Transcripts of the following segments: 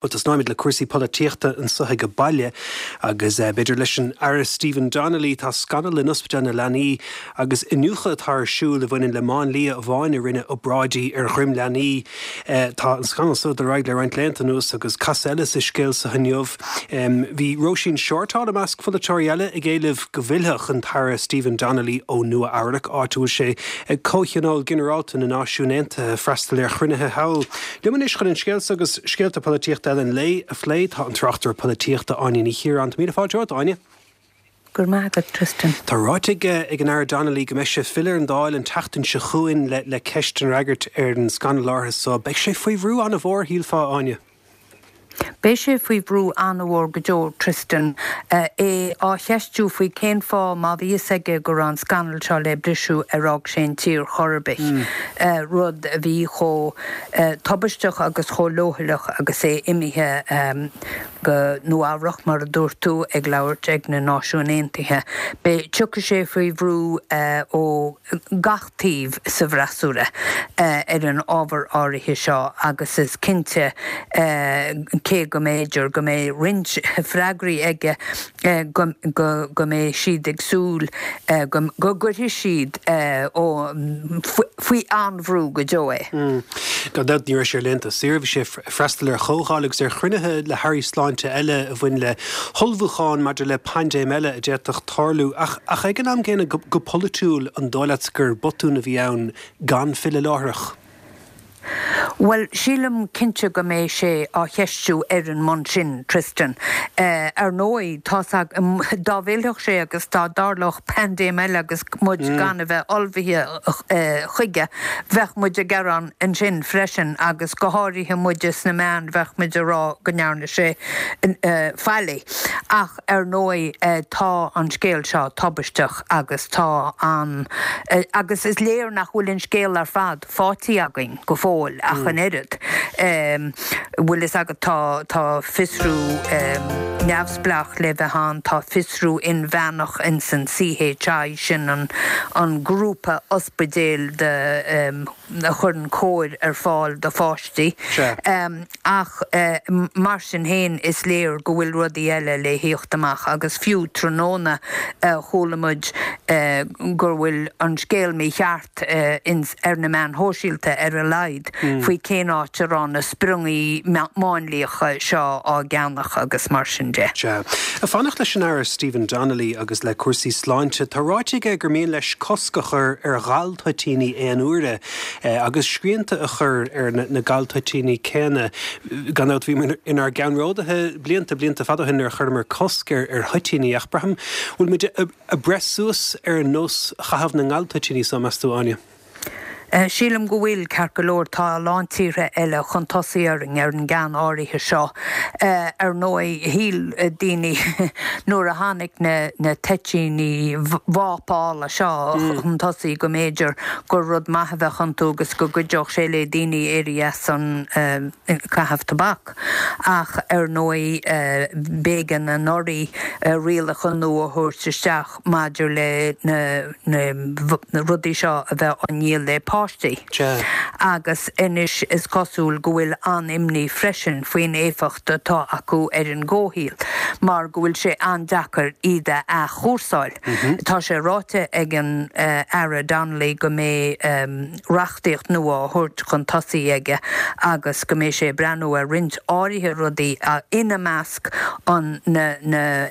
Bhuel, tosnóimid le cúrsaí polaitíochta anso age baile agus b'fhéidir leis an Aire Stephen Donnelly. Tá scannal in Ospidéal na Leanaí agus iniúchadh atá ar siúl a bhaineann le máinlia amháin a rinne obráidí ar dhroim leanaí. Tá an scannal so ag dul ar aghaidh le roinnt laethanta anuas agus casadh eile sa scéal so inniu. Bhí Róisín Shortall i measc pholaiteoirí eile ag éileamh go bhfillfeadh an tAire Stephen Donnelly ó Nua Eabhrac, áit a bhfuil sé ag Comhthionól Ginearálta na Náisiún Aontaithe, freastal ar chruinnithe thall. Liom anois chun an scéal so agus scéalta polaitíochta eile an lae a phlé tá an tráchtaire polaitíochta Áine Ní Chiaráin. Tá míle fáilte romhat, Áine. Go raibh maith agat, Tristan. Tá ráite ag an Aire Donnelly go mbeidh sé ag filleadh ar an Dáil an tseachtain seo chugainn le ceist a fhreagairt ar an scannal áirithe so. Beidh sé faoi bhrú an-mhór, shílfeá, Áine. Beidh sé faoi bhrú an-mhór go deo, Tristan. É á cheistiú faoi cén fáth, má bhí fhios aige go raibh an scannal seo le briseadh, ar fhág sé an tír chor ar bith, rud a bhí chomh tubaisteach agus chomh leochaileach agus é imithe go Nua Eabhrac, mar a dúirt tú, ag labhairt ag na Náisiúin Aontaithe. Beidh, tiocfaidh sé faoi bhrú ó gach taobh sa bhfreasúra ar an ábhar áirithe seo agus is cinnte, cé go mb'fhéidir go mbeidh roinnt freagraí aige, go mbeidh siad ag súil go gcuirfidh siad faoi an-bhrú go deo é. Gan dabht, ní raibh sé ar laethanta saoire, bhí sé ag freastal ar chomhdháil agus ar chruinnithe le hairí sláinte eile a bhain le hullmhúchán maidir le paindéim eile a d'fhéadfadh tarlú. Ach ag an am gcéanna, go polaitiúil, an dóigh leat gur botún a bhí ann gan filleadh láithreach? Bhuel, sílim cinnte go mbeidh sé á cheistiú ar an mbonn sin, Tristan. Ar ndóigh, tá's agam, dá bhfillfeadh sé agus dá dtarlódh paindéim eile agus muid gan a bheith ullmhaithe chuige, bheadh muid ag gearán ansin freisin agus go háirithe muide sna meáin, bheadh muid ag rá go ndearna sé faillí. Ach ar ndóigh tá an scéal seo tubaisteach agus tá an, agus is léir nach bhfuil an scéal ar fad faighte againn go fóill ach an oiread. Bhfuil fhios agat tá, tá fiosrú neamhspleách le bheith ann, tá fiosrú inmheánach ins an CHI, sin an, an grúpa ospidéil de, a chuireann cóir ar fáil do pháistí. Ach mar sin féin is léir go bhfuil rudaí eile le thíocht amach agus fiú tráthnóna chuala muid go bhfuil an scéal mícheart ins ar na meáin shóisialta ar a laghad faoi cén áit a raibh na spriongaí máinliacha seo á gceannach agus mar sin de. Sea. Ag fanacht leis an Aire Stephen Donnelly agus le cúrsaí sláinte, tá ráite aige gur mian leis cosc a chur ar ghal-toitíní aon uaire. agus srianta a chur ar na galtoitíní céanna. Gan dabht, bhíomar inár gceannródaithe blianta, blianta fada ó shin nuair a chuireamar cosc ar thoitíní, ach braithim, bhfuil muid ag breith suas ar nós chaitheamh na ngaltoitíní so, meas tú, Áine? Sílim go bhfuil, ceart go leor, tá a lán tíortha eile chun tosaigh orainn ar an gceann áirithe seo. Ar ndóigh, shíl daoine nuair a tháinig na toitíní vápála seo chun tosaigh go mb'fhéidir gur rud maith a bheadh iontu agus go gcuideodh sé le daoine éirí as an caitheamh tobac. Ach ar ndóigh b'éigean anuraidh rialacha nua a thabhairt isteach maidir le na rudaí seo a bheith á ndíol le páistí. Agus anois is cosúil go bhfuil an-imní freisin faoin éifeacht atá acu ar an gcomhshaol mar go bhfuil sé an-deacair iad a athchúrsáil. Tá sé ráite ag an Aire Donnelly go mbeidh reachtaíocht nua á thabhairt chun tosaigh aige agus go mbeidh sé ag breathnú ar roinnt áirithe rudaí, ina measc an na na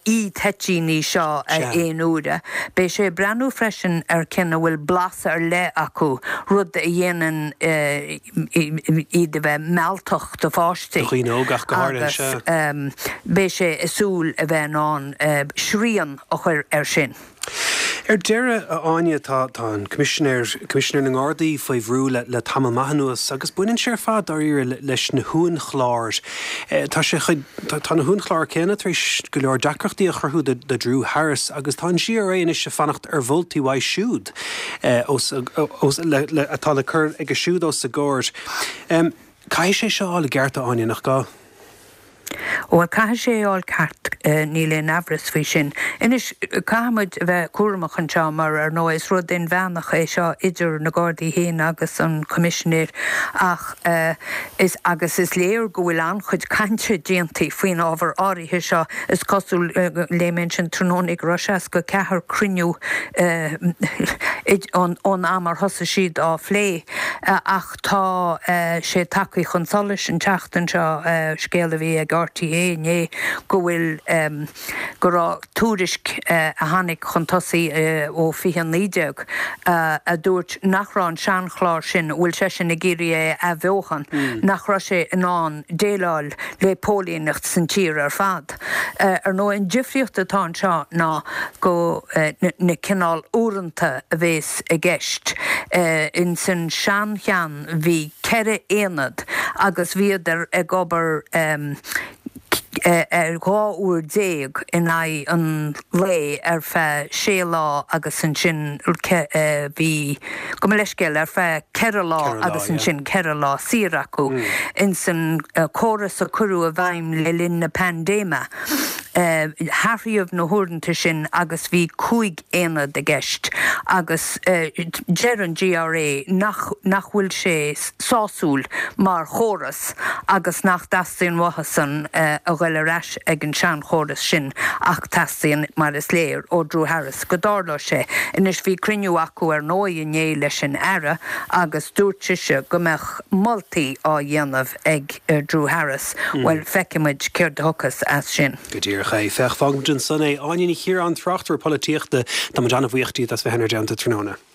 e-toitíní seo aon uaire. Beidh sé ag breathnú freisin ar cinn a bhfuil blas ar leith acu, rud a dhéanann iad a bheith mealltach do pháistí. Do dhaoine óga ach go háirithe, sea. Agus beidh sé ag súil a bheith in ann srian a chur air sin. Ar deireadh, a Áine, tá tá an Coimisinéir, Coimisinéir na nGardaí faoi bhrú le le tamall maith anuas agus baineann sé ar fad, dáiríre, leis na huainchlár. Tá sé chuid, tá na huainchlár céanna tar éis go leor deacrachtaí a chruthú do do Drew Harris agus tá an GRA anois ag fanacht ar mholtaí uaidh siúd os os le le atá le cur aige siúd os a gcomhair. Caithfidh sé seo a fháil i gceart, a Áine, nach gá? Bhuel, caithfidh sé é a fháil ceart, níl aon aimhreas faoi sin. Anois, caithfidh muid a bheith cúramach anseo mar, ar ndóigh, is rud inmheánach é seo idir na Gardaí féin agus an Coimisinéir ach is, agus is léir go bhfuil an-chuid cainte déanta faoin ábhar áirithe seo. Is cosúil, léigh mé ansin tráthnóna go raibh 64 cruinniú ón am ar thosaigh siad á phlé ach tá sé tagtha chun solais an tseachtain seo, scéal a bhí ag RTÉ inné, go bhfuil, go raibh tuairisc a tháinig chun tosaigh ó 2019 a dúirt nach raibh an seanchlár sin, a bhfuil seisean ag iarraidh é a athbheochan, nach raibh sé in ann déileáil le póilíneacht san tír ar fad. Ar ndóigh, an difríocht atá anseo ná go na cineál uaireanta a bhéas i gceist. Ins an sean-cheann bhí 4 aonad agus bhíodar ag obair ar 12 uair in aghaidh an lae ar feadh sé lá agus ansin bhí, gabh mo leithscéal, ar feadh 4 lá agus ansin 4 lá saor acu. Ins an córas a cuireadh i bhfeidhm le linn na paindéime, hathraíodh na huaireanta sin agus bhí 5 aonad i gceist agus deir an GRA nach nach bhfuil sé sásúil mar chóras agus nach dteastaíonn uathusan a ghoil ar ais ag an seanchóras sin ach teastaíonn, mar is léir, ó Drew Harris go dtarlódh sé. Anois bhí cruinniú acu ar ndóigh inné leis an Aire agus dúirt sise go mbeadh moltaí á dhéanamh ag Drew Harris. Bhuel, feicfidh muid céard a thiocfas as sin. Go díreach é. Féach, fágfaimid ansan é. Áine Ní Chiaráin, tráchtaire polaitíochta, tá muid an-bhuíoch díot as bheith inár dteannta tráthnóna.